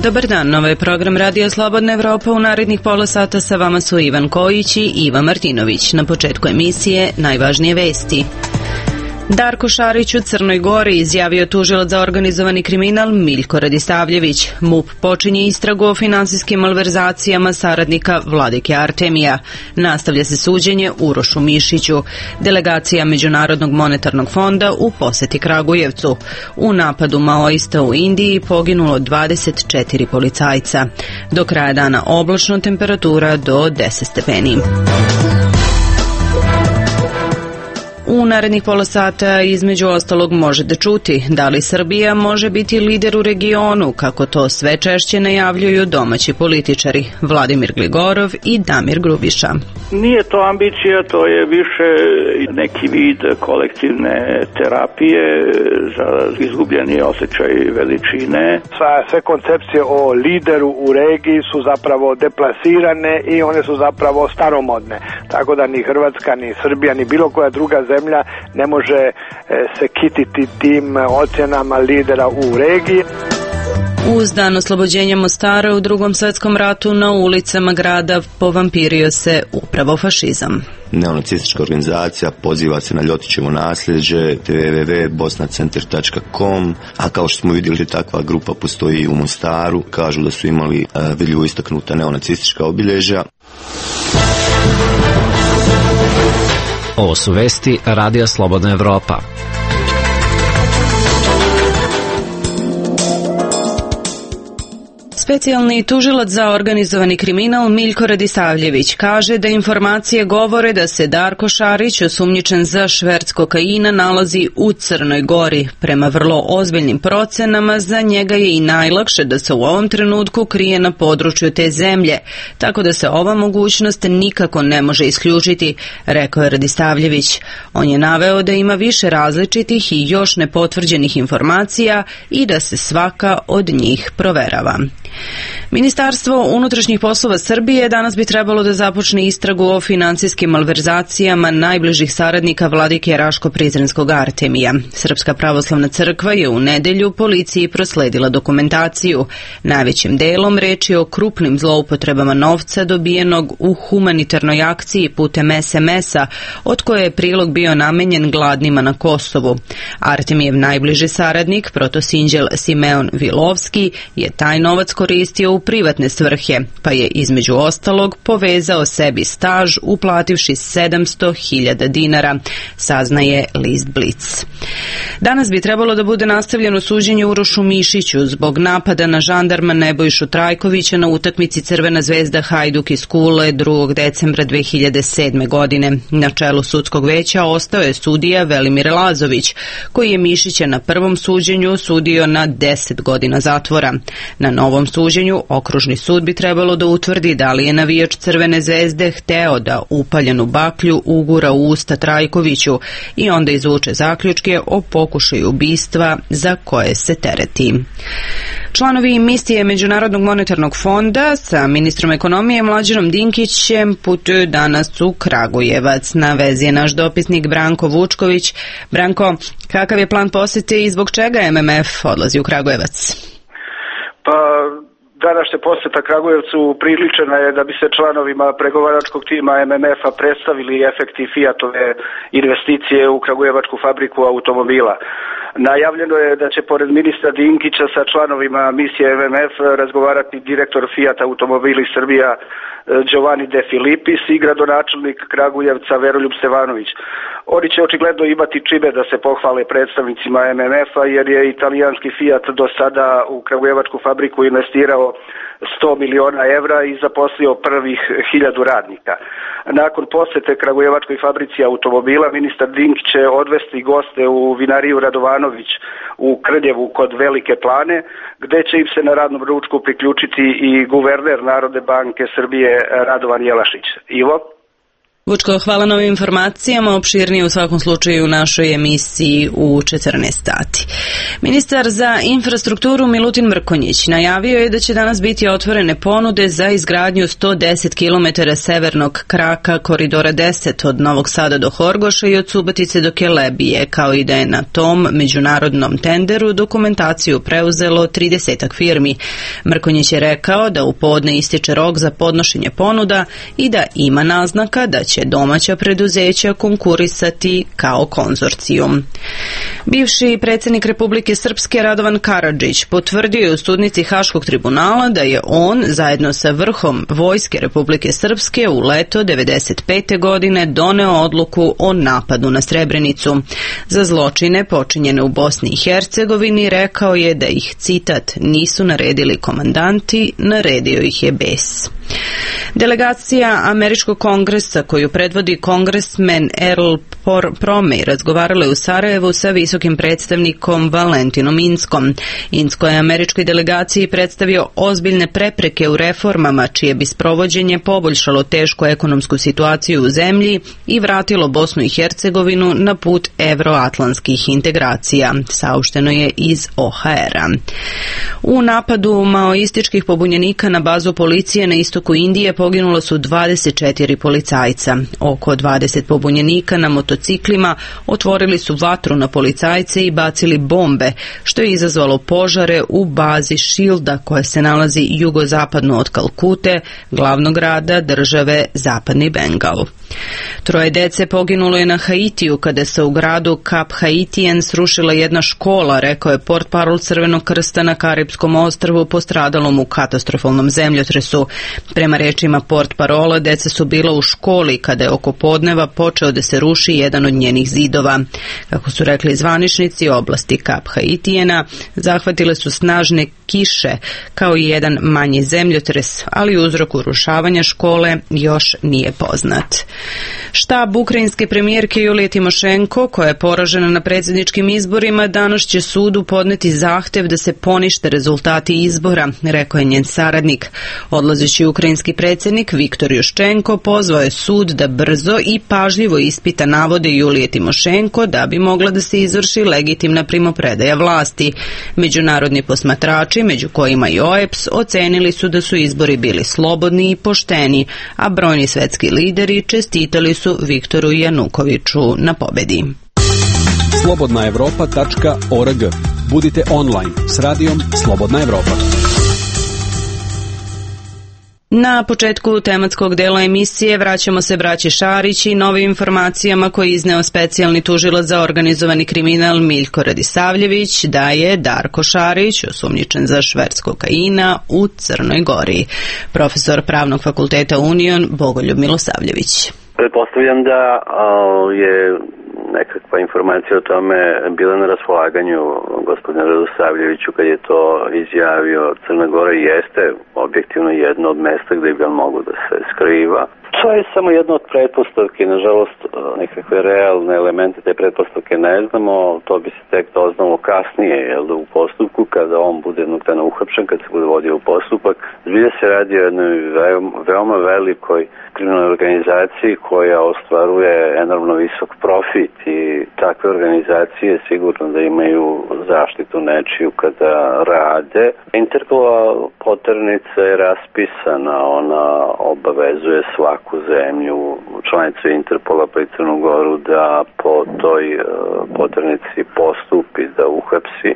Dobar dan, ovo je program Radio Slobodna Evropa. U narednih pola sata sa vama su Ivan Kojić i Iva Martinović. Na početku emisije najvažnije vesti. Darko Šarić u Crnoj Gori, izjavio tužilac za organizovani kriminal Miljko Radisavljević. MUP počinje istragu o finansijskim malverzacijama saradnika Vladike Artemija. Nastavlja se suđenje Urošu Mišiću. Delegacija Međunarodnog monetarnog fonda u poseti Kragujevcu. U napadu maoista u Indiji poginulo 24 policajca. Do kraja dana oblačno, temperatura do 10 stepeni. U narednih pola sata između ostalog možete čuti da li Srbija može biti lider u regionu, kako to sve češće najavljuju domaći političari Vladimir Gligorov i Damir Grubiša. Nije to ambicija, to je više neki vid kolektivne terapije za izgubljeni osjećaj veličine. Sve koncepcije o lideru u regiji su zapravo deplasirane i one su zapravo staromodne. Tako da ni Hrvatska, ni Srbija, ni bilo koja druga zemlja ne može se kititi tim ocjenama lidera u regiji. Uz dan oslobođenja Mostara u Drugom svjetskom ratu na ulicama grada povampirio se upravo fašizam. Neonacistička organizacija poziva se na Ljotićevo nasljeđe, www.bosnacenter.com, a kao što smo vidjeli takva grupa postoji i u Mostaru, kažu da su imali vidljivo istaknuta neonacistička obilježja. Ovo su vesti Radija Slobodna Evropa. Specijalni tužilac za organizovani kriminal Miljko Radisavljević kaže da informacije govore da se Darko Šarić, osumnjičen za šverc kokaina, nalazi u Crnoj Gori. Prema vrlo ozbiljnim procenama, za njega je i najlakše da se u ovom trenutku krije na području te zemlje, tako da se ova mogućnost nikako ne može isključiti, rekao je Radisavljević. On je naveo da ima više različitih i još nepotvrđenih informacija i da se svaka od njih proverava. Ministarstvo unutrašnjih poslova Srbije danas bi trebalo da započne istragu o finansijskim malverzacijama najbližih saradnika vladike Raško-Prizrenskog Artemija. Srpska pravoslavna crkva je u nedelju policiji prosledila dokumentaciju. Najvećim delom reč je o krupnim zloupotrebama novca dobijenog u humanitarnoj akciji putem SMS-a, od koje je prilog bio namenjen gladnima na Kosovu. Artemijev najbliži saradnik, protosinđel Simeon Vilovski, je taj novac koristio u privatne svrhe, pa je između ostalog povezao sebi staž uplativši 700.000 dinara, saznaje list Blic. Danas bi trebalo da bude nastavljeno suđenje Urošu Mišiću zbog napada na žandarma Nebojšu Trajkovića na utakmici Crvena zvezda Hajduk iz Kule 2. decembra 2007. godine. Na čelu sudskog veća ostao je sudija Velimir Lazović, koji je Mišića na prvom suđenju sudio na 10 godina zatvora. Na novom suđenju Okružni sud bi trebalo da utvrdi da li je navijač Crvene zvezde hteo da upaljenu baklju ugura u usta Trajkoviću i onda izvuče zaključke o pokušaju ubistva za koje se tereti. Članovi misije Međunarodnog monetarnog fonda sa ministrom ekonomije Mlađanom Dinkićem putuju danas u Kragujevac. Na vezi je naš dopisnik Branko Vučković. Branko, kakav je plan posete i zbog čega MMF odlazi u Kragujevac? Pa današnja posjeta Kragujevcu priličena je da bi se članovima pregovaračkog tima MMF-a predstavili efekti Fiatove investicije u kragujevačku fabriku automobila. Najavljeno je da će pored ministra Dinkića sa članovima misije MMF razgovarati direktor Fiat Automobili Srbija Giovanni De Filipis i gradonačelnik Kragujevca Veroljub Stevanović. Oni će očigledno imati čime da se pohvale predstavnicima MMF-a jer je italijanski Fiat do sada u kragujevačku fabriku investirao 100 miliona evra i zaposlio prvih 1000 radnika. Nakon posete kragujevačkoj fabrici automobila, ministar Dinkić će odvesti goste u vinariju Radovanović u Krljevu kod Velike Plane, gde će im se na radnom ručku priključiti i guverner Narodne banke Srbije Radovan Jelašić. Ivo? Vučko, hvala na ovim informacijama, opširnije u svakom slučaju u našoj emisiji u 14 sati. Ministar za infrastrukturu Milutin Mrkonjić najavio je da će danas biti otvorene ponude za izgradnju 110 km severnog kraka koridora 10 od Novog Sada do Horgoša i od Subotice do Kelebije, kao i da je na tom međunarodnom tenderu dokumentaciju preuzelo 30 firmi. Mrkonjić je rekao da u podne ističe rok za podnošenje ponuda i da ima naznaka da će domaća preduzeća konkurisati kao konzorcijum. Bivši predsjednik Republike Srpske Radovan Karadžić potvrdio je u studnici Haškog tribunala da je on zajedno sa vrhom Vojske Republike Srpske u leto 1995. godine doneo odluku o napadu na Srebrenicu. Za zločine počinjene u Bosni i Hercegovini rekao je da ih, citat, nisu naredili komandanti, naredio ih je bes. Delegacija Američkog kongresa koju predvodi kongresmen Earl Promey razgovarala je u Sarajevu sa visokim predstavnikom Valentinom Inskom. Insko je američkoj delegaciji predstavio ozbiljne prepreke u reformama čije bi sprovođenje poboljšalo tešku ekonomsku situaciju u zemlji i vratilo Bosnu i Hercegovinu na put evroatlantskih integracija, saopšteno je iz OHR-a. U napadu maoističkih pobunjenika na bazu policije na istoku Indije poginulo su 24 policajca. Oko 20 pobunjenika na motociklima otvorili su vatru na policajce i bacili bombe, što je izazvalo požare u bazi Šilda koja se nalazi jugozapadno od Kalkute, glavnog grada države Zapadni Bengal. 3 dece poginulo je na Haitiju kada se u gradu Cap Haitien srušila jedna škola, rekao je portparol Crvenog krsta na Karipskom ostrvu postradalom u katastrofalnom zemljotresu. Prema rečima portparola, deca su bila u školi kada je oko podneva počeo da se ruši jedan od njenih zidova. Kako su rekli zvaničnici oblasti Cap Haitiena, zahvatile su snažne kiše kao i jedan manji zemljotres, ali uzrok urušavanja škole još nije poznat. Štab ukrajinske premijerke Julije Timošenko, koja je poražena na predsjedničkim izborima, danas će sudu podneti zahtev da se ponište rezultati izbora, rekao je njen saradnik. Odlazeći ukrajinski predsjednik Viktor Juščenko pozvao je sud da brzo i pažljivo ispita navode Julije Timošenko da bi mogla da se izvrši legitimna primopredaja vlasti. Međunarodni posmatrači, među kojima i OEBS, ocenili su da su izbori bili slobodni i pošteni, a brojni svetski lideri čestitali su Viktoru Janukoviću na pobedi. Slobodnaevropa.org. Budite online s radijom Slobodna Evropa. Na početku tematskog dela emisije vraćamo se braći Šarić i novim informacijama koje je izneo specijalni tužilac za organizovani kriminal Miljko Radisavljević da je Darko Šarić osumnjičen za šverc kokaina u Crnoj Gori. Profesor Pravnog fakulteta Union Bogoljub Milosavljević. Pretpostavljam da je nekakva informacija o tome bila na raspolaganju gospodinu Radosavljeviću kad je to izjavio. Crna Gora jeste objektivno jedno od mesta gde bi on mogu da se skriva. To je samo jedna od pretpostavki, nažalost nekakve realne elemente te pretpostavke ne znamo, to bi se tek doznalo kasnije, jel da u postupku kada on bude jednog dana uhapšen, kad se bude vodio u postupak. Zbilja se radi o jednoj veoma velikoj kriminalnoj organizaciji koja ostvaruje enormno visok profit i takve organizacije sigurno da imaju zaštitu nečiju kada rade. Interpolova poternica je raspisana, ona obavezuje svaku zemlju, članicu Interpola pa i Crnu Goru da po toj poternici postupi, da uhapsi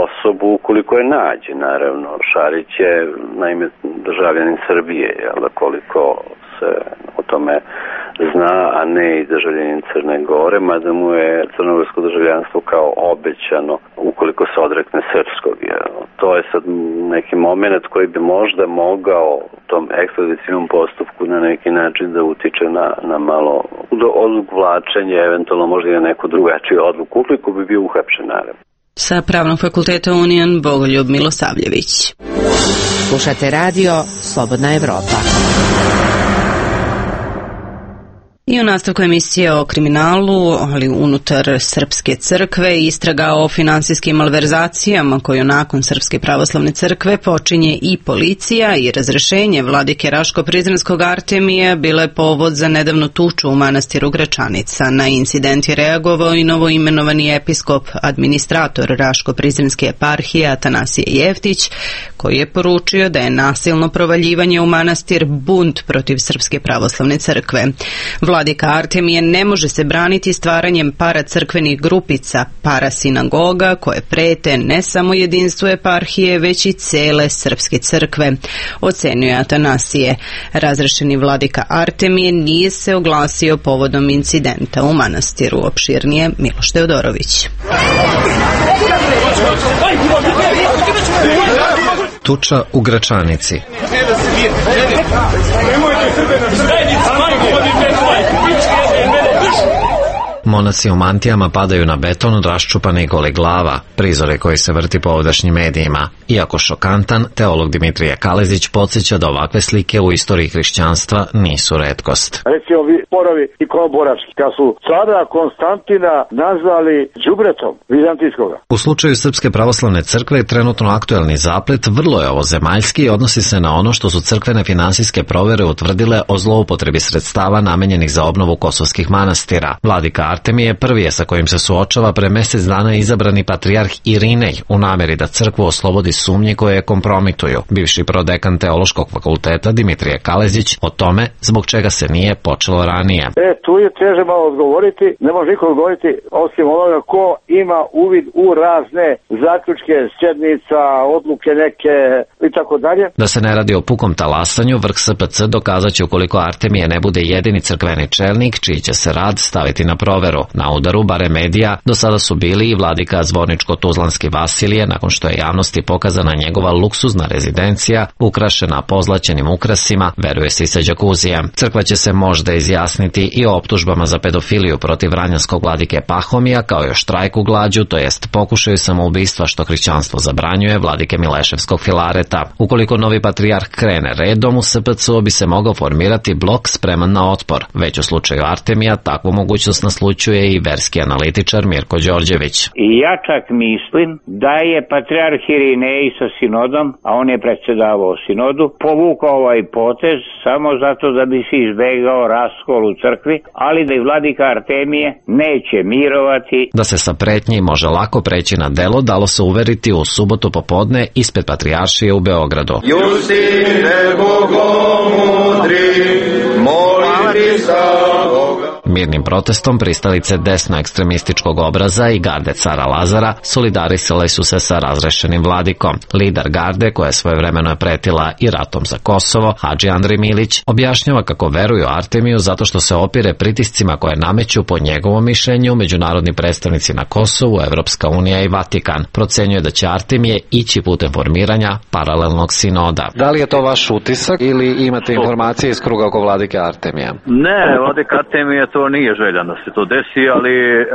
osobu ukoliko je nađe. Naravno, Šarić je naime državljanin Srbije, jel da, koliko se o tome zna, a ne i državljanin Crne Gore, mada mu je crnogorsko državljanstvo kao obećano ukoliko se odrekne srpskog. To je sad neki moment koji bi možda mogao u tom ekstradicijnom postupku na neki način da utiče na malo odvlačenje, eventualno možda i na neku drugačiju odluku, ukoliko bi bio uhapšen, naravno. Sa Pravnog fakulteta Union Bogoljub Milosavljević. Slušate radio Slobodna Evropa. I u nastavku emisije o kriminalu, ali unutar Srpske crkve, istraga o finansijskim malverzacijama koju nakon Srpske pravoslavne crkve počinje i policija i razrešenje vladike Raško-Prizrenskog Artemija bila je povod za nedavnu tuču u manastiru Gračanica. Na incident je reagovao i novoimenovani episkop, administrator Raško-Prizrenske eparhije Atanasije Jeftić, koji je poručio da je nasilno provaljivanje u manastir bunt protiv Srpske pravoslavne crkve. Vladika Artemije ne može se braniti stvaranjem paracrkvenih grupica, parasinagoga koje prete ne samo jedinstvu eparhije, već i cele Srpske crkve, ocenio je Atanasije. Razrešeni vladika Artemije nije se oglasio povodom incidenta u manastiru. Opširnije Miloš Teodorović. Tuča u Gračanici. Monaci u mantijama padaju na beton raščupanih golih glava, prizore koji se vrti po ovdašnjim medijima. Iako šokantan, teolog Dimitrije Kalezić podsjeća da ovakve slike u istoriji hrišćanstva nisu retkost. Recimo sporovi ikonoborački, kad su cara Konstantina nazvali đubretom vizantijskoga. U slučaju Srpske pravoslavne crkve je trenutno aktuelni zaplet vrlo je ovozemaljski i odnosi se na ono što su crkvene finansijske provere utvrdile o zloupotrebi sredstava namenjenih za obnovu kosovskih manastira. Vladika Artemije prvi je sa kojim se suočava pre mesec dana izabrani patrijarh Irinej u nameri da crkvu oslobodi sumnje koje je kompromituju. Bivši prodekan Teološkog fakulteta Dimitrije Kalezić o tome zbog čega se nije počelo ranije. Tu je teže malo odgovoriti, ne može niko odgovoriti osim onoga ko ima uvid u razne zaključke, sjednica, odluke neke i tako dalje. Da se ne radi o pukom talasanju, vrh SPC dokazat će ukoliko Artemije ne bude jedini crkveni čelnik čiji će se rad staviti na proveru. Na udaru, bare medija, do sada su bili i vladika Zvorničko-Tuzlanski Vasilije, nakon što je javnosti pokazana njegova luksuzna rezidencija, ukrašena pozlaćenim ukrasima, veruje se i sa džakuzijem. Crkva će se možda izjasniti i o optužbama za pedofiliju protiv vranjanskog vladike Pahomija, kao i o štrajku glađu, to jest pokušaju samoubistva što hrišćanstvo zabranjuje vladike Mileševskog Filareta. Ukoliko novi patrijarh krene redom, u SPC-u bi se mogao formirati blok spreman na otpor. Već u slučaju Artemija takvu mogućnost naslućuje i verski analitičar Mirko Đorđević. I ja čak mislim da je patrijarh Irinej sa sinodom, a on je predsjedavao sinodu, povukao ovaj potez samo zato da bi se izbegao raskol u crkvi, ali da i vladika Artemije neće mirovati. Da se sa pretnji može lako preći na delo dalo se uveriti u subotu popodne ispred patrijaršije u Beogradu. Justine bogomudri, moliti za Boga. Mirnim protestom pristalice desno-ekstremističkog obraza i garde cara Lazara solidarisale su se sa razrešenim vladikom. Lider garde, koja je svojevremeno pretila i ratom za Kosovo, Hadži Andrej Milić, objašnjava kako veruju Artemiju zato što se opire pritiscima koje nameću po njegovom mišljenju međunarodni predstavnici na Kosovu, Evropska unija i Vatikan. Procenjuje da će Artemije ići putem formiranja paralelnog sinoda. Da li je to vaš utisak ili imate informacije iz kruga oko vladike Artemija? Ne, vladika Artemija to nije želja da se to desi,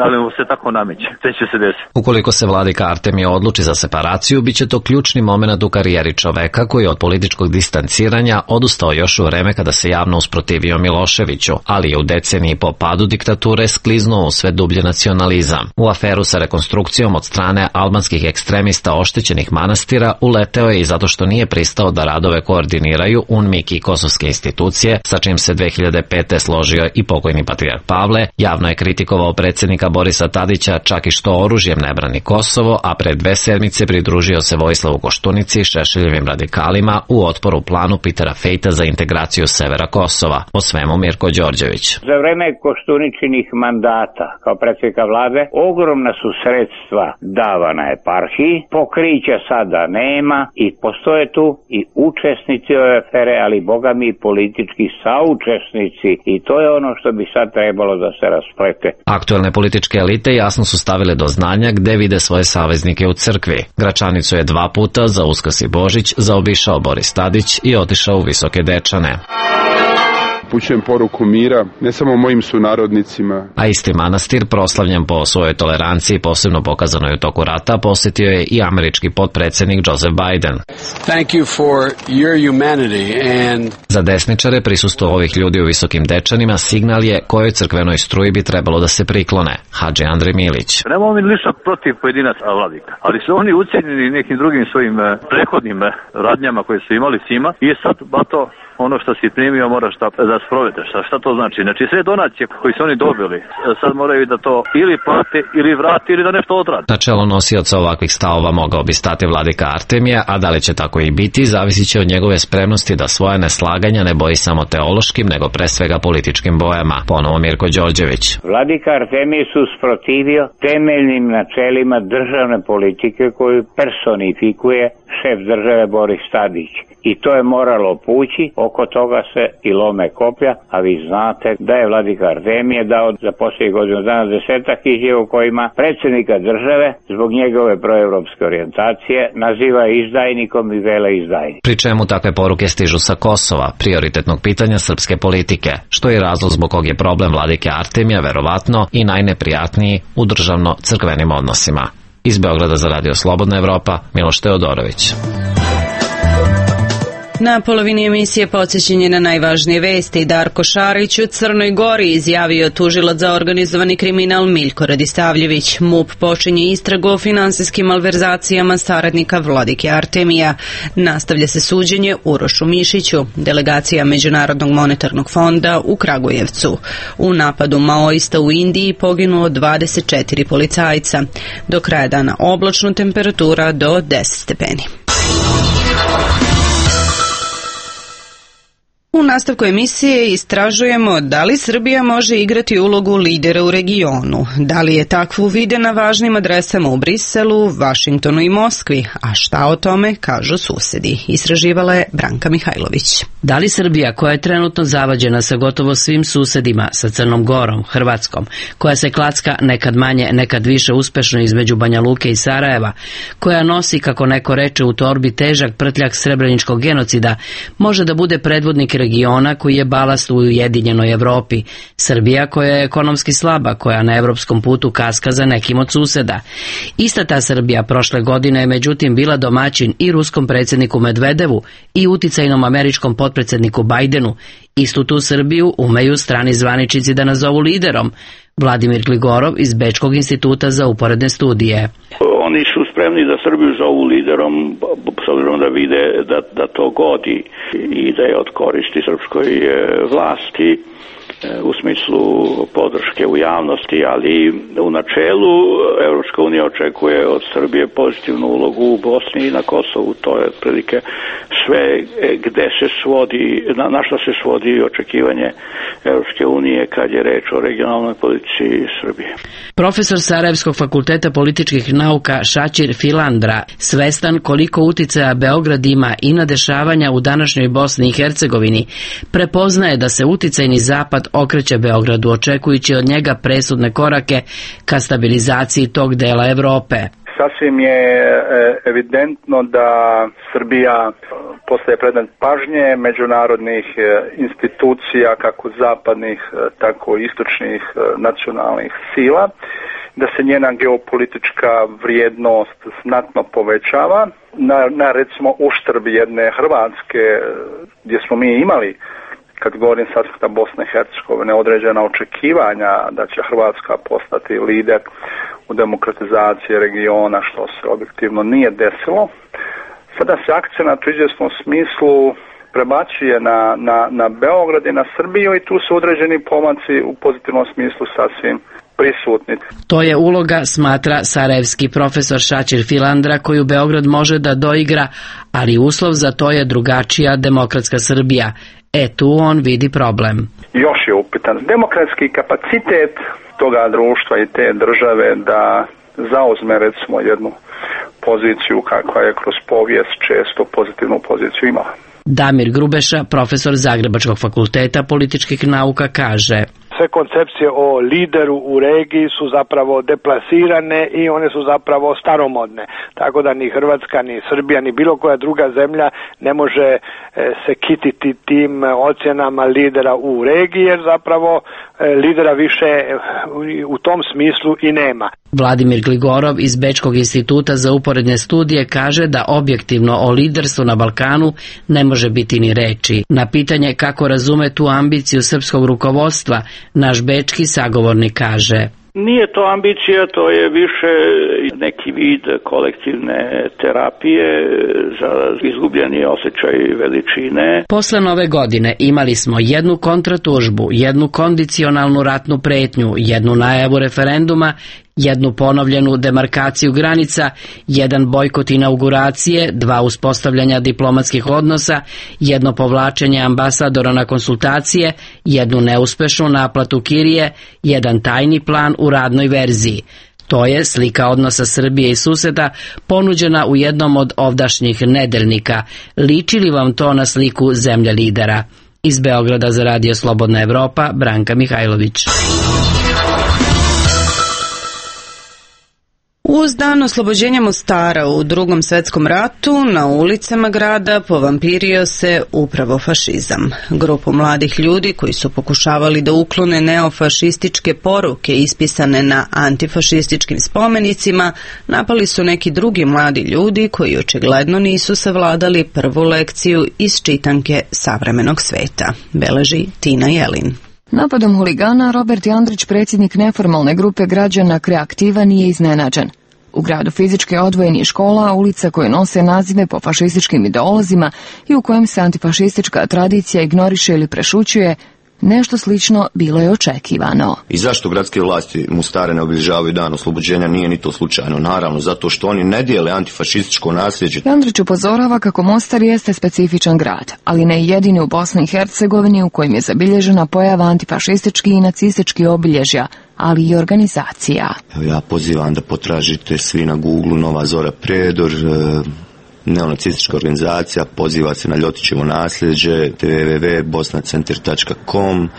ali mu se tako nameće. Sve će se desiti. Ukoliko se vladika Artemija odluči za separaciju, bit će to ključni moment u karijeri čoveka koji je od političkog distanciranja odustao još u vreme kada se javno usprotivio Miloševiću, ali je u deceniji po padu diktature skliznuo u sve dublje nacionalizam. U aferu sa rekonstrukcijom od strane albanskih ekstremista oštećenih manastira uleteo je i zato što nije pristao da radove koordiniraju UNMIK i kosovske institucije, sa čim se 2005. složio i pokojni patrijarh Pavle, javno je kritikovao predsjednika Borisa Tadića čak i što oružjem ne brani Kosovo, a pre 2 sedmice pridružio se Vojislavu Koštunici, Šešeljevim radikalima u otporu planu Pitera Fejta za integraciju severa Kosova. O svemu Mirko Đorđević. Za vreme Koštuničinih mandata kao predsjednika vlade ogromna su sredstva davana eparhiji, pokrića sada nema i postoje tu i učesnici ove afere, ali boga mi politički saučesnici, i to je ono što bi sad trebalo da se rasplete. Aktuelne političke elite jasno su stavile do znanja gde vide svoje saveznike u crkvi. Gračanicu je 2 puta za Uskrs i Božić zaobišao Boris Tadić i otišao u Visoke Dečane. upućujem poruku mira, ne samo mojim sunarodnicima. A isti manastir, proslavljen po svojoj toleranciji, posebno pokazanoj u toku rata, posjetio je i američki potpredsjednik Joseph Biden. Thank you for your humanity and... Za desničare prisustvo ovih ljudi u Visokim Dečanima signal je kojoj crkvenoj struji bi trebalo da se priklone. Hadži Andrej Milić. Nemamo mi ništa protiv pojedinaca vladika, ali su oni ucijenjeni nekim drugim svojim prethodnim radnjama koje su imali s njima i sad bato ono što si primio moraš da sprovedeš. Šta to znači? Znači sve donacije koje su oni dobili sad moraju da to ili plate ili vrati ili da nešto odrade. Na čelo nosioca ovakvih stavova mogao bi stati vladika Artemije, a da li će tako i biti zavisit će od njegove spremnosti da svoje neslaganja ne boji samo teološkim nego pre svega političkim bojama. Ponovo Mirko Đorđević. Vladika Artemije se usprotivio temeljnim načelima državne politike koju personifikuje šef države Boris Tadić. I to je moralo pući, oko toga se i lome koplja, a vi znate da je vladika Artemije dao za posljednjih godinu dana 10 izjava u kojima predsjednika države zbog njegove proevropske orijentacije naziva izdajnikom i veleizdajnikom. Pri čemu takve poruke stižu sa Kosova, prioritetnog pitanja srpske politike, što je razlog zbog kog je problem vladike Artemija verovatno i najneprijatniji u državno-crkvenim odnosima. Iz Beograda za Radio Slobodna Evropa, Miloš Teodorović. Na polovini emisije podsjećanje na najvažnije vesti. Darko Šarić u Crnoj Gori izjavio tužilac za organizovani kriminal Miljko Radistavljević. MUP počinje istragu o finansijskim malverzacijama saradnika vladike Artemija. Nastavlja se suđenje Urošu Mišiću, delegacija Međunarodnog monetarnog fonda u Kragujevcu. U napadu maoista u Indiji poginulo 24 policajca. Do kraja dana oblačno, temperatura do 10 stepeni. U nastavku emisije istražujemo da li Srbija može igrati ulogu lidera u regionu, da li je takvu vide na važnim adresama u Briselu, Vašingtonu i Moskvi, a šta o tome kažu susedi. Istraživala je Branka Mihajlović. Da li Srbija, koja je trenutno zavađena sa gotovo svim susedima, sa Crnom Gorom, Hrvatskom, koja se klacka nekad manje, nekad više uspešno između Banja Luke i Sarajeva, koja nosi, kako neko reče, u torbi težak prtljak srebreničkog genocida, može da bude predvodnik regiona koji je balast u ujedinjenoj Evropi. Srbija koja je ekonomski slaba, koja na evropskom putu kaska za nekim od suseda. Ista ta Srbija prošle godine je međutim bila domaćin i ruskom predsjedniku Medvedevu i uticajnom američkom potpredsjedniku Bajdenu. Istu tu Srbiju umeju strani zvaničnici da nazovu liderom. Vladimir Gligorov iz Bečkog instituta za uporedne studije. Oni su spremni da Srbiju zovu liderom s obzirom da vide da to godi i da je od koristi srpskoj vlasti u smislu podrške u javnosti, ali u načelu Evropska unija očekuje od Srbije pozitivnu ulogu u Bosni i na Kosovu. To je otprilike sve gde se svodi, na što se svodi očekivanje Evropske unije kad je reč o regionalnoj politici Srbije. Profesor Sarajevskog fakulteta političkih nauka Šačir Filandra, svestan koliko uticaja Beograd ima i na dešavanja u današnjoj Bosni i Hercegovini, prepoznaje da se uticajni zapad okreće Beogradu, očekujući od njega presudne korake ka stabilizaciji tog dela Evrope. Sasvim je evidentno da Srbija postaje predmet pažnje međunarodnih institucija, kako zapadnih, tako i istočnih nacionalnih sila, da se njena geopolitička vrijednost znatno povećava, na recimo uštrb jedne Hrvatske, gdje smo mi imali, kad govorim s aspekta Bosne i Hercegovine, određena očekivanja da će Hrvatska postati lider u demokratizaciji regiona, što se objektivno nije desilo. Sada se akcenat u izvjesnom smislu prebacuje na Beograd i na Srbiju i tu su određeni pomaci u pozitivnom smislu sasvim prisutni. To je uloga, smatra sarajevski profesor Šačir Filandra, koju Beograd može da doigra, ali uslov za to je drugačija demokratska Srbija. Tu on vidi problem. Još je upitan demokratski kapacitet toga društva i te države da zauzme recimo jednu poziciju kakva je kroz povijest često pozitivnu poziciju imala. Damir Grubeša, profesor Zagrebačkog fakulteta političkih nauka, kaže: S sve koncepcije o lideru u regiji su zapravo deplasirane i one su zapravo staromodne. Tako da ni Hrvatska, ni Srbija, ni bilo koja druga zemlja ne može se kititi tim ocjenama lidera u regiji, jer zapravo lidera više u tom smislu i nema. Vladimir Gligorov iz Bečkog instituta za uporedne studije kaže da objektivno o liderstvu na Balkanu ne može biti ni reči. Na pitanje kako razume tu ambiciju srpskog rukovodstva, naš bečki sagovornik kaže: Nije to ambicija, to je više neki vid kolektivne terapije za izgubljeni osjećaj veličine. Posle Nove godine imali smo jednu kontratužbu, jednu kondicionalnu ratnu pretnju, jednu najavu referenduma, jednu ponovljenu demarkaciju granica, jedan bojkot inauguracije, 2 uspostavljanja diplomatskih odnosa, jedno povlačenje ambasadora na konsultacije, jednu neuspešnu naplatu kirije, jedan tajni plan u radnoj verziji. To je slika odnosa Srbije i suseda ponuđena u jednom od ovdašnjih nedeljnika. Liči li vam to na sliku zemlje lidera? Iz Beograda za Radio Slobodna Evropa, Branka Mihajlović. Uz dan oslobođenja Mostara u Drugom svetskom ratu na ulicama grada povampirio se upravo fašizam. Grupu mladih ljudi koji su pokušavali da uklone neofašističke poruke ispisane na antifašističkim spomenicima napali su neki drugi mladi ljudi koji očigledno nisu savladali prvu lekciju iz čitanke savremenog sveta, beleži Tina Jelin. Napadom huligana Robert Jandrić, predsjednik neformalne grupe građana Kreativa, nije iznenađen. U gradu fizički odvojenih škola, ulica koje nose nazive po fašističkim ideolozima i u kojem se antifašistička tradicija ignoriše ili prešućuje, nešto slično bilo je očekivano. I zašto gradske vlasti Mostara ne obilježavaju dan oslobođenja? Nije ni to slučajno. Naravno, zato što oni ne dijele antifašističko nasljeđe. Jandrić upozorava kako Mostar jeste specifičan grad, ali ne jedini u Bosni i Hercegovini u kojem je zabilježena pojava antifašistički i nacistički obilježja, ali i organizacija. Ja pozivam da potražite svi na Google Nova Zora Predor, neonacistička organizacija, poziva se na Ljotićevo nasljeđe, www.bosnacenter.com,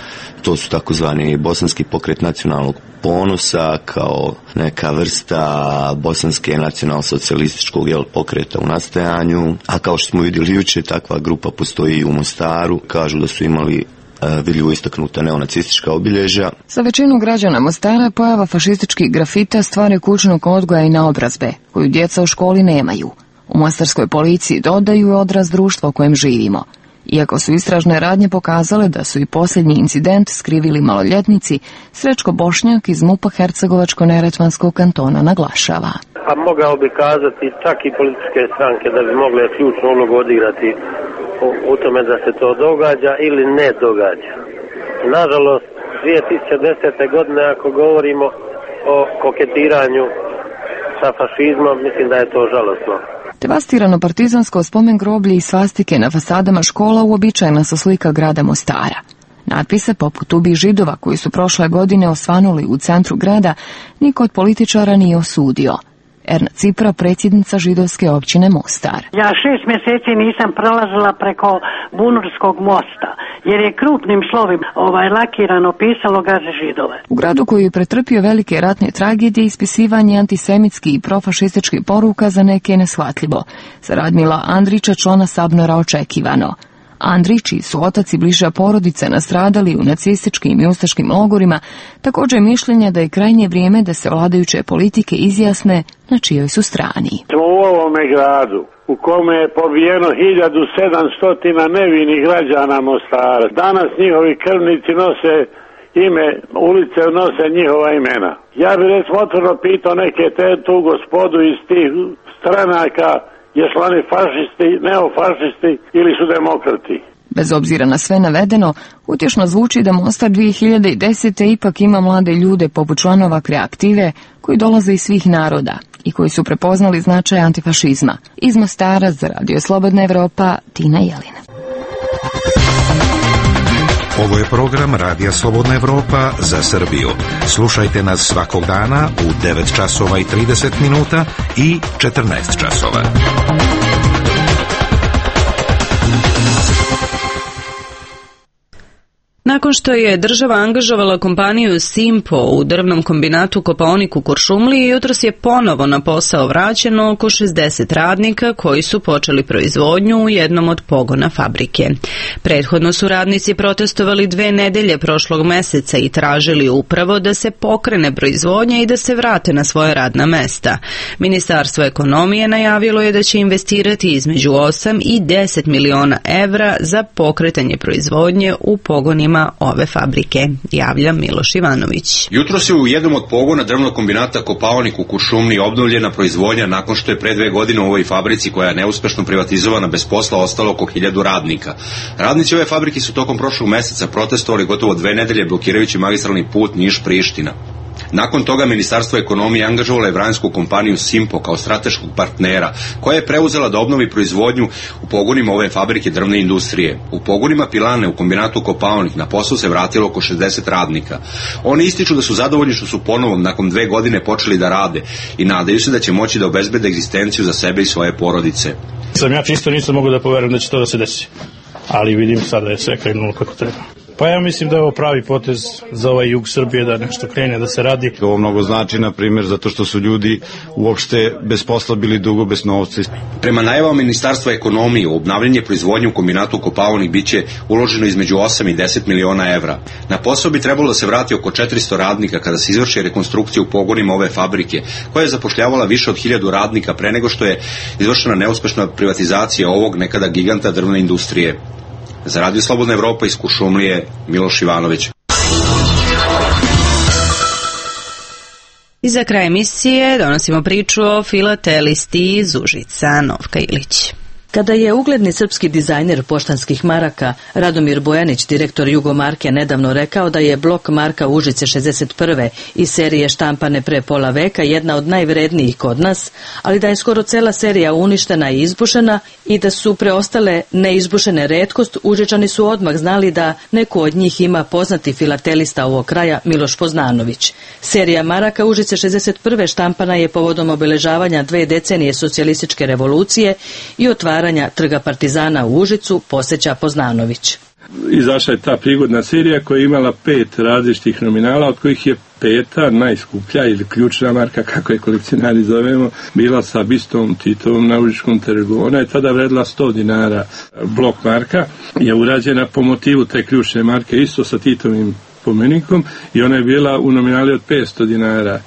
to su takozvani bosanski pokret nacionalnog ponosa kao neka vrsta bosanske nacionalsocijalističkog pokreta u nastajanju, a kao što smo vidjeli jučer, takva grupa postoji i u Mostaru, kažu da su imali vidljivo istaknuta neonacistička obilježja. Za većinu građana Mostara pojava fašističkih grafita stvara kućnog odgoja i naobrazbe, koju djeca u školi nemaju. U mostarskoj policiji dodaju odraz društva u kojem živimo. Iako su istražne radnje pokazale da su i posljednji incident skrivili maloljetnici, Srećko Bošnjak iz MUP-a Hercegovačko-neretvanskog kantona naglašava. A mogao bi kazati čak i političke stranke da bi mogle ključnu ulogu odigrati u tome da se to događa ili ne događa. Nažalost, 2010. godine ako govorimo o koketiranju sa fašizmom, mislim da je to žalosno. Devastirano partizansko spomen groblje i svastike na fasadama škola uobičajena su slika grada Mostara. Natpise poput ubij Židova koji su prošle godine osvanuli u centru grada niko od političara nije osudio. Erna Cipra, predsjednica židovske općine Mostar. Ja 6 mjeseci nisam prolazila preko Bunurskog mosta, jer je krupnim slovima lakirano pisalo gaze Židove. U gradu koji je pretrpio velike ratne tragedije, ispisivanje antisemitskih i profašističkih poruka za neke je neshvatljivo. Za Radmila Andrića, člana Sabnora, očekivano. Andrić, čiji su otac i bliža porodica nastradali u nacističkim i ustaškim logorima, također je mišljenja da je krajnje vrijeme da se vladajuće politike izjasne na čijoj su strani. U ovome gradu u kome je pobijeno 1700 nevinih građana Mostara, danas njihovi krvnici nose ime, ulice nose njihova imena. Ja bih recimo otvoreno pitao neke tu gospodu iz tih stranaka, jesu oni fašisti, neofašisti ili su demokrati. Bez obzira na sve navedeno, utješno zvuči da Mostar 2010. ipak ima mlade ljude poput članova Kreative koji dolaze iz svih naroda i koji su prepoznali značaj antifašizma. Iz Mostara za Radio Slobodna Evropa, Tina Jelin. Ovo je program Radija Slobodna Evropa za Srbiju. Slušajte nas svakog dana u 9 časova i 30 minuta i 14 časova. Nakon Nakon što je država angažovala kompaniju Simpo u drvnom kombinatu Kopaonik u Kuršumliji, jutros je ponovo na posao vraćeno oko 60 radnika koji su počeli proizvodnju u jednom od pogona fabrike. Prethodno su radnici protestovali 2 nedelje prošlog meseca i tražili upravo da se pokrene proizvodnja i da se vrate na svoje radna mesta. Ministarstvo ekonomije najavilo je da će investirati između 8 i 10 miliona evra za pokretanje proizvodnje u pogonima ove fabrike, javlja Miloš Ivanović. Jutros je u jednom od pogona drvnog kombinata Kopaonik u Kuršumliji obnovljena proizvodnja nakon što je pre 2 godine u ovoj fabrici, koja je neuspešno privatizovana, bez posla ostalo oko 1000 radnika. Radnici ove fabrike su tokom prošlog meseca protestovali gotovo 2 nedelje blokirajući magistralni put Niš-Priština. Nakon toga Ministarstvo ekonomije angažovalo je vranjsku kompaniju Simpo kao strateškog partnera, koja je preuzela da obnovi proizvodnju u pogonima ove fabrike drvne industrije. U pogonima pilane u kombinatu Kopaonik na posao se vratilo oko 60 radnika. Oni ističu da su zadovoljni što su ponovo nakon 2 godine počeli da rade i nadaju se da će moći da obezbede egzistenciju za sebe i svoje porodice. Ja čisto nisam mogu da poverujem da će to da se desi, ali vidim sada je sve krenulo kako treba. Pa ja mislim da je ovo pravi potez za ovaj jug Srbije, da nešto krene da se radi. Ovo mnogo znači, na primjer, zato što su ljudi uopšte bez posla bili dugo bez novca. Prema najavama Ministarstva ekonomije, u obnavljanje proizvodnje u kombinatu Kopaonik biće uloženo između 8 i 10 miliona evra. Na posao bi trebalo da se vrati oko 400 radnika kada se izvrši rekonstrukcija u pogonima ove fabrike, koja je zapošljavala više od 1000 radnika pre nego što je izvršena neuspešna privatizacija ovog nekada giganta drvne industrije. Za Radio Slobodna Evropa iz Kuršumlije, Miloš Ivanović. I za kraj emisije donosimo priču o filatelisti iz Užica, Novka Ilić. Kada je ugledni srpski dizajner poštanskih maraka Radomir Bojanić, direktor Jugomarke, nedavno rekao da je blok marka Užice 61. iz serije štampane pre pola veka jedna od najvrednijih kod nas, ali da je skoro cela serija uništena i izbušena i da su preostale neizbušene retkost, Užičani su odmah znali da neku od njih ima poznati filatelista ovog kraja Miloš Poznanović. Serija maraka Užice 61. štampana je povodom obeležavanja 2 decenije socijalističke revolucije i otvaranja Trga Partizana u Užicu, podsjeća Poznanović. Izašla je ta prigodna serija koja je imala 5 različitih nominala, od kojih je 5. najskuplja ili ključna marka, kako je kolekcionari zovemo, bila sa bistom Titovom na Užičkom trgu. Ona je tada vredila 100 dinara. Blok marka je urađena po motivu te ključne marke, isto sa Titovim pomenikom, i ona je bila u nominali od 500 dinara.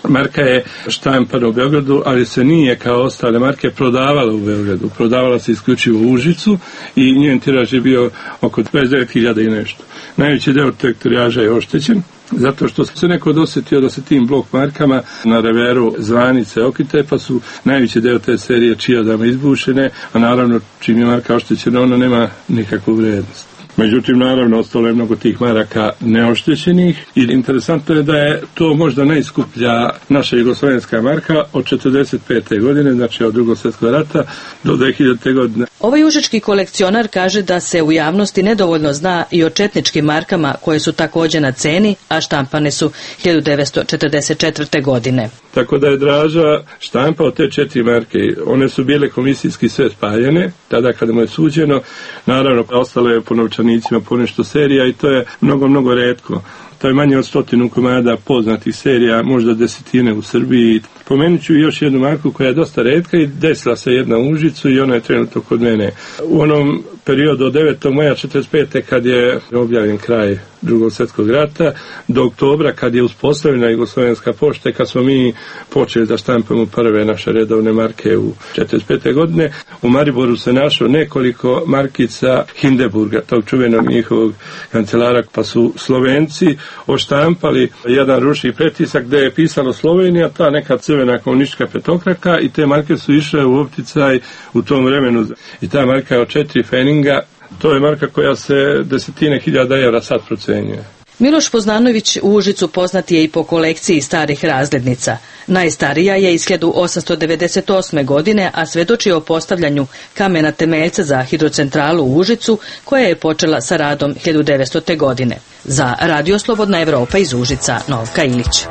Marka je štampana u Beogradu, ali se nije kao ostale marke prodavala u Beogradu. Prodavala se isključivo u Užicu i njen tiraž je bio oko 29.000 i nešto. Najveći deo tog tiraža je oštećen, zato što se neko dosetio da se tim blok markama na reveru zvanice okite, pa su najveći deo te serije čijadama izbušene, a naravno čim je marka oštećena, ona nema nikakvu vrednost. Međutim, naravno, ostalo je mnogo tih maraka neoštećenih i interesantno je da je to možda najskuplja naša jugoslovenska marka od 45. godine, znači od Drugog svjetskog rata do 2000. godine. Ovaj užički kolekcionar kaže da se u javnosti nedovoljno zna i o četničkim markama koje su također na ceni, a štampane su 1944. godine. Tako da je Draža štampao te 4 marke. One su bile komisijski sve spaljene, tada kada mu je suđeno. Naravno, ostalo je po novčanicima ponešto serija i to je mnogo retko. To je manje od 100 komada poznatih serija, možda desetine u Srbiji. Pomenut ću još jednu marku koja je dosta retka i desila se jedna u Užicu i ona je trenutno kod mene. U onom periodu od 9. maja 1945. kad je objavljen kraj Drugog svjetskog rata, do oktobra kad je uspostavljena Jugoslovenska pošta i kad smo mi počeli da štampamo prve naše redovne marke u 1945. godine, u Mariboru se našlo nekoliko markica Hindenburga, tog čuvenog njihovog kancelara, pa su Slovenci oštampali jedan ručni pretisak gdje je pisalo Slovenija, ta neka crvena komunistička petokraka, i te marke su išle u opticaj u tom vremenu. I ta marka od 4 feninga, to je marka koja se 10.000 evra sad procenjuje. Miloš Poznanović u Užicu poznat je i po kolekciji starih razglednica. Najstarija je iz 1898. godine, a svedoči o postavljanju kamena temeljca za hidrocentralu u Užicu, koja je počela sa radom 1900. godine. Za Radio Slobodna Evropa iz Užica, Novka Ilić.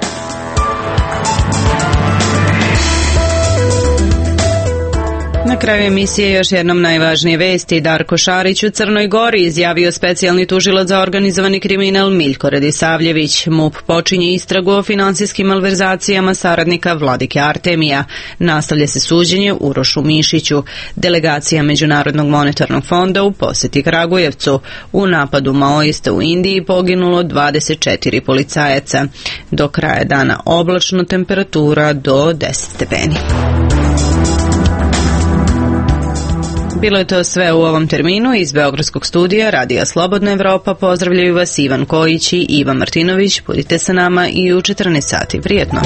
Na kraju emisije još jednom najvažnije vesti. Darko Šarić u Crnoj Gori izjavio specijalni tužilac za organizovani kriminal Miljko Radisavljević. MUP počinje istragu o finansijskim malverzacijama saradnika Vladike Artemija. Nastavlja se suđenje Urošu Mišiću. Delegacija Međunarodnog monetarnog fonda u posjeti Kragujevcu. U napadu maoista u Indiji poginulo 24 policajaca. Do kraja dana oblačno, temperatura do 10 stepeni. Bilo je to sve u ovom terminu. Iz Beogradskog studija Radija Slobodna Evropa pozdravljaju vas Ivan Kojić i Iva Martinović. Budite sa nama i u 14 sati. Prijetno!